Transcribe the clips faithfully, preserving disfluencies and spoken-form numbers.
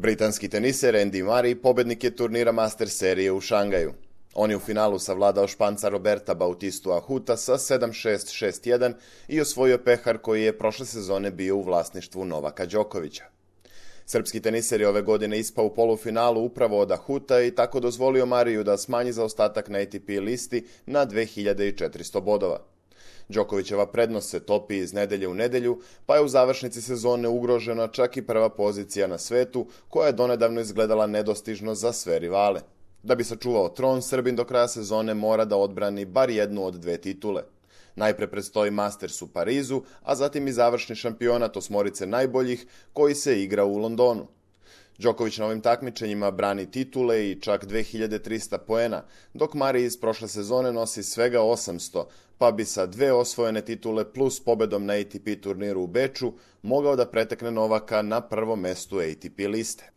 Britanski teniser Andy Murray pobednik je turnira Master serije u Šangaju. On je u finalu savladao Španca Roberta Bautistu Ahuta sa sedam šest šest jedan i osvojio pehar koji je prošle sezone bio u vlasništvu Novaka Đokovića. Srpski teniser je ove godine ispao u polufinalu upravo od Ahuta i tako dozvolio Mariju da smanji zaostatak na A T P listi na dve hiljade četiristo bodova. Đokovićeva prednost se topi iz nedelje u nedelju, pa je u završnici sezone ugrožena čak i prva pozicija na svetu, koja je donedavno izgledala nedostižno za sve rivale. Da bi sačuvao tron, Srbin do kraja sezone mora da odbrani bar jednu od dve titule. Najpre predstoji Masters u Parizu, a zatim i završni šampionat osmorice najboljih koji se igra u Londonu. Đoković na ovim takmičenjima brani titule i čak dve hiljade trista poena, dok Mari iz prošle sezone nosi svega osamsto, pa bi sa dve osvojene titule plus pobedom na A T P turniru u Beču mogao da pretekne Novaka na prvom mestu A T P liste.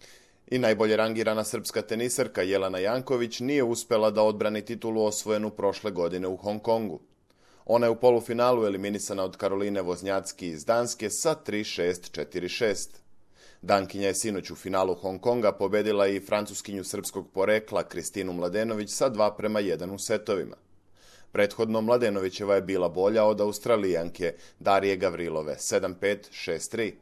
I najbolje rangirana srpska teniserka Jelena Janković nije uspela da odbrani titulu osvojenu prošle godine u Hong Kongu. Ona je u polufinalu eliminisana od Karoline Voznjacki iz Danske sa tri šest četiri šest. Dankinja je sinoć u finalu Hong Konga pobedila i francuskinju srpskog porekla Kristinu Mladenović sa dva prema jedan u setovima. Prethodno Mladenovićeva je bila bolja od Australijanke Darije Gavrilove sedam pet šest tri.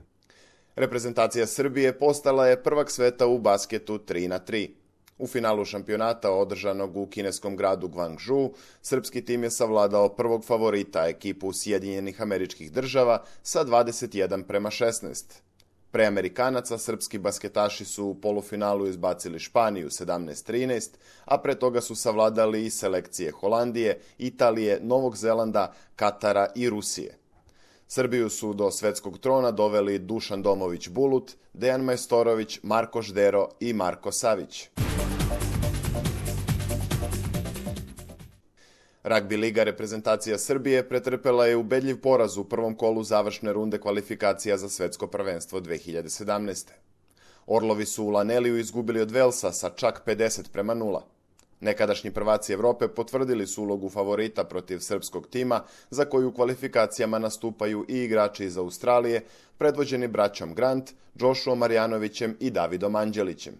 Reprezentacija Srbije postala je prvak sveta u basketu tri na tri. U finalu šampionata održanog u kineskom gradu Guangzhou, srpski tim je savladao prvog favorita, ekipu Sjedinjenih Američkih Država, sa dvadeset jedan prema šesnaest. Pre Amerikanaca, srpski basketaši su u polufinalu izbacili Španiju sedamnaest trinaest, a pre toga su savladali i selekcije Holandije, Italije, Novog Zelanda, Katara i Rusije. Srbiju su do svetskog trona doveli Dušan Domović Bulut, Dejan Majstorović, Marko Ždero i Marko Savić. Ragbi liga reprezentacija Srbije pretrpela je ubedljiv poraz u prvom kolu završne runde kvalifikacija za svetsko prvenstvo dve hiljade sedamnaeste. Orlovi su u Laneliju izgubili od Velsa sa čak pedeset prema nula. Nekadašnji prvaci Evrope potvrdili su ulogu favorita protiv srpskog tima, za koju u kvalifikacijama nastupaju i igrači iz Australije, predvođeni braćom Grant, Jošuom Marjanovićem i Davidom Anđelićem.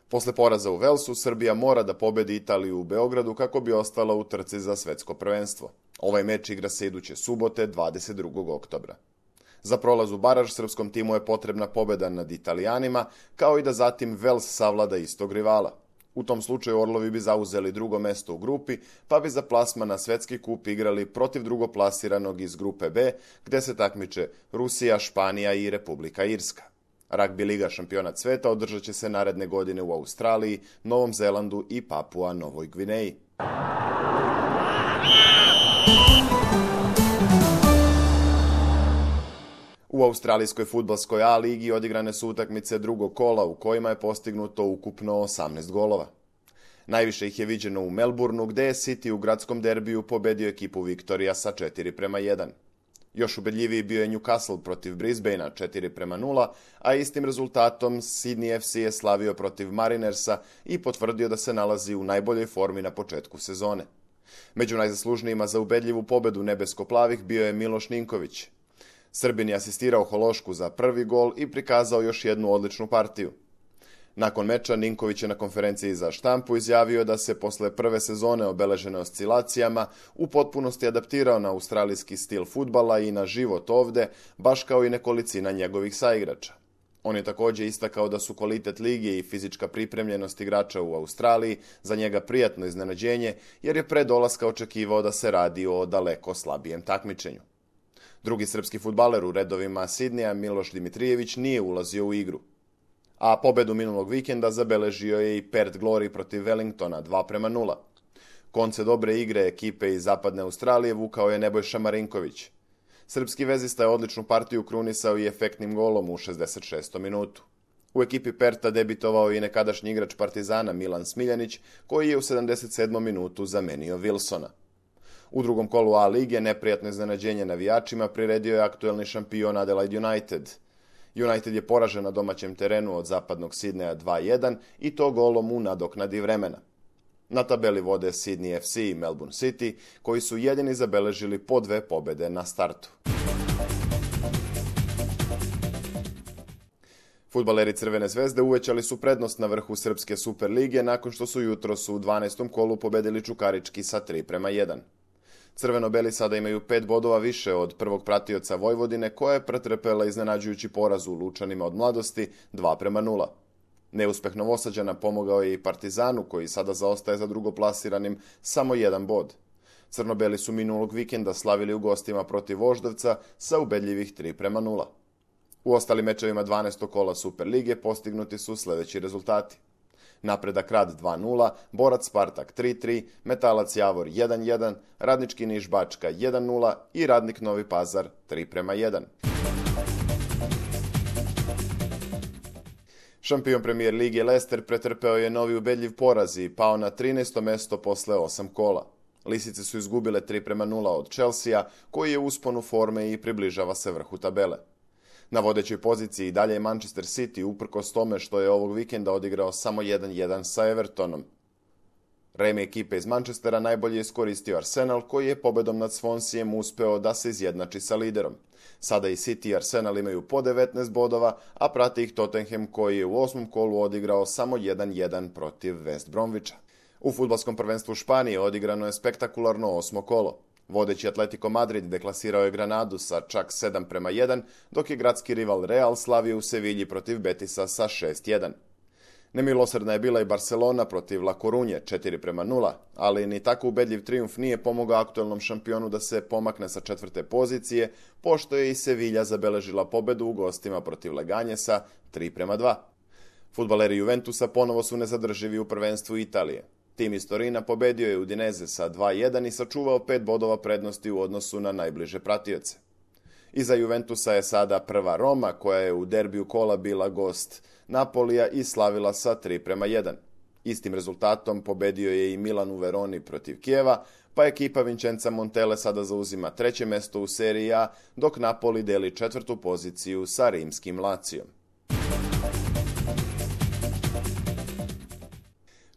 Posle poraza u Velsu, Srbija mora da pobedi Italiju u Beogradu kako bi ostala u trci za svetsko prvenstvo. Ovaj meč igra se iduće subote, dvadeset drugog oktobra. Za prolaz u baraž srpskom timu je potrebna pobeda nad Italijanima, kao i da zatim Vels savlada istog rivala. U tom slučaju Orlovi bi zauzeli drugo mesto u grupi, pa bi za plasman na svetski kup igrali protiv drugoplasiranog iz grupe B, gde se takmiče Rusija, Španija i Republika Irska. Ragbi liga šampionat sveta održat će se naredne godine u Australiji, Novom Zelandu i Papua Novoj Gvineji. U australijskoj fudbalskoj A ligi odigrane su utakmice drugog kola u kojima je postignuto ukupno osamnaest golova. Najviše ih je viđeno u Melbourneu, gde je City u gradskom derbiju pobedio ekipu Viktorija sa četiri prema jedan. Još ubedljiviji bio je Newcastle protiv Brisbanea četiri prema nula, a istim rezultatom Sydney F C je slavio protiv Marinersa i potvrdio da se nalazi u najboljoj formi na početku sezone. Među najzaslužnijima za ubedljivu pobedu nebesko-plavih bio je Miloš Ninković. Srbin je asistirao Hološku za prvi gol i prikazao još jednu odličnu partiju. Nakon meča Ninković je na konferenciji za štampu izjavio da se posle prve sezone obeležene oscilacijama u potpunosti adaptirao na australijski stil fudbala i na život ovde, baš kao i nekolicina njegovih saigrača. On je također istakao da su kvalitet lige i fizička pripremljenost igrača u Australiji za njega prijatno iznenađenje, jer je pre dolaska očekivao da se radi o daleko slabijem takmičenju. Drugi srpski fudbaler u redovima Sidneja, Miloš Dimitrijević, nije ulazio u igru. A pobedu minulog vikenda zabeležio je i Perth Glory protiv Wellingtona dva prema nula. Konce dobre igre ekipe iz zapadne Australije vukao je Nebojša Marinković. Srpski vezista je odličnu partiju krunisao i efektnim golom u šezdeset šestom minutu. U ekipi Perta debitovao i nekadašnji igrač Partizana Milan Smiljanić, koji je u sedamdeset sedmom minutu zamenio Wilsona. U drugom kolu A lige neprijatno iznenađenje navijačima priredio je aktuelni šampion Adelaide United. United je poražen na domaćem terenu od zapadnog Sidneja dva jedan i to golom u nadoknadi vremena. Na tabeli vode Sydney F C i Melbourne City, koji su jedini zabeležili po dve pobede na startu. Fudbaleri Crvene zvezde uvećali su prednost na vrhu Srpske Super lige nakon što su jutros u dvanaestom kolu pobedili Čukarički sa tri prema jedan. Crveno-beli sada imaju pet bodova više od prvog pratioca Vojvodine, koja je pretrpela iznenađujući poraz u Lučanima od Mladosti dva prema nula. Neuspeh Novosađana pomogao je i Partizanu, koji sada zaostaje za drugoplasiranim samo jedan bod. Crno-beli su minulog vikenda slavili u gostima protiv Voždovca sa ubedljivih tri prema nula. U ostalim mečevima dvanaestog kola Super lige postignuti su sljedeći rezultati. Napredak Rad dva nula, Borac Spartak tri tri, Metalac Javor jedan jedan, Radnički Niš Bačka jedan nula i Radnik Novi Pazar tri prema jedan. Šampion Premier lige Leicester pretrpeo je novi ubedljiv poraz i pao na trinaesto mesto posle osam kola. Lisice su izgubile tri prema nula od Chelsea, koji je u usponu forme i približava se vrhu tabele. Na vodećoj poziciji i dalje je Manchester City, uprkos tome što je ovog vikenda odigrao samo jedan jedan sa Evertonom. Remi ekipe iz Manchestera najbolje iskoristio Arsenal, koji je pobedom nad Swanseaem uspeo da se izjednači sa liderom. Sada i City i Arsenal imaju po devetnaest bodova, a prati ih Tottenham, koji je u osmom kolu odigrao samo jedan jedan protiv West Bromwicha. U fudbalskom prvenstvu Španije odigrano je spektakularno osmo kolo. Vodeći Atletico Madrid deklasirao je Granadu sa čak sedam prema jedan, dok je gradski rival Real slavio u Sevilji protiv Betisa sa šest jedan. Nemilosrdna je bila i Barcelona protiv La Corunje četiri prema nula, ali ni tako ubedljiv trijumf nije pomogao aktuelnom šampionu da se pomakne sa četvrte pozicije, pošto je i Sevilla zabeležila pobedu u gostima protiv Leganjesa tri prema dva. Fudbaleri Juventusa ponovo su nezadrživi u prvenstvu Italije. Tim iz Torina pobedio je Udineze sa dva jedan i sačuvao pet bodova prednosti u odnosu na najbliže pratioce. Iza Juventusa je sada prva Roma, koja je u derbiju kola bila gost Napolija i slavila sa tri prema jedan. Istim rezultatom pobedio je i Milan u Veroni protiv Kijeva, pa ekipa Vincenza Montelle sada zauzima treće mesto u seriji A, dok Napoli deli četvrtu poziciju sa rimskim Lacijom.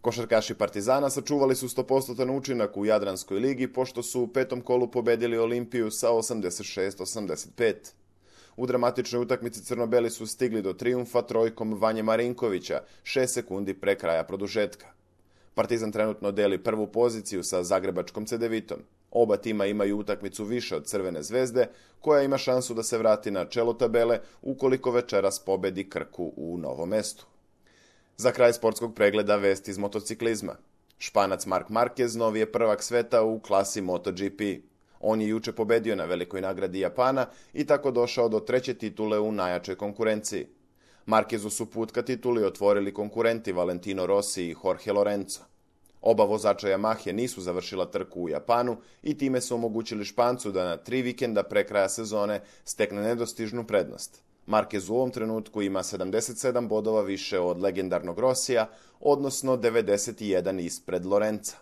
Košarkaši Partizana sačuvali su sto posto učinak u Jadranskoj ligi, pošto su u petom kolu pobedili Olimpiju sa osamdeset šest osamdeset pet. U dramatičnoj utakmici crno-beli su stigli do trijumfa trojkom Vanje Marinkovića, šest sekundi pre kraja produžetka. Partizan trenutno deli prvu poziciju sa zagrebačkom Cedevitom. Oba tima imaju utakmicu više od Crvene zvezde, koja ima šansu da se vrati na čelo tabele ukoliko večeras pobedi Krku u Novom Mestu. Za kraj sportskog pregleda vest iz motociklizma. Španac Marc Marquez novi je prvak sveta u klasi MotoGP. On je juče pobedio na velikoj nagradi Japana i tako došao do treće titule u najjačoj konkurenciji. Marquezu su put ka tituli otvorili konkurenti Valentino Rossi i Jorge Lorenzo. Oba vozača Yamahe nisu završila trku u Japanu i time su omogućili Špancu da na tri vikenda pre kraja sezone stekne nedostižnu prednost. Marquez u ovom trenutku ima sedamdeset sedam bodova više od legendarnog Rossija, odnosno devedeset jedan ispred Lorenza.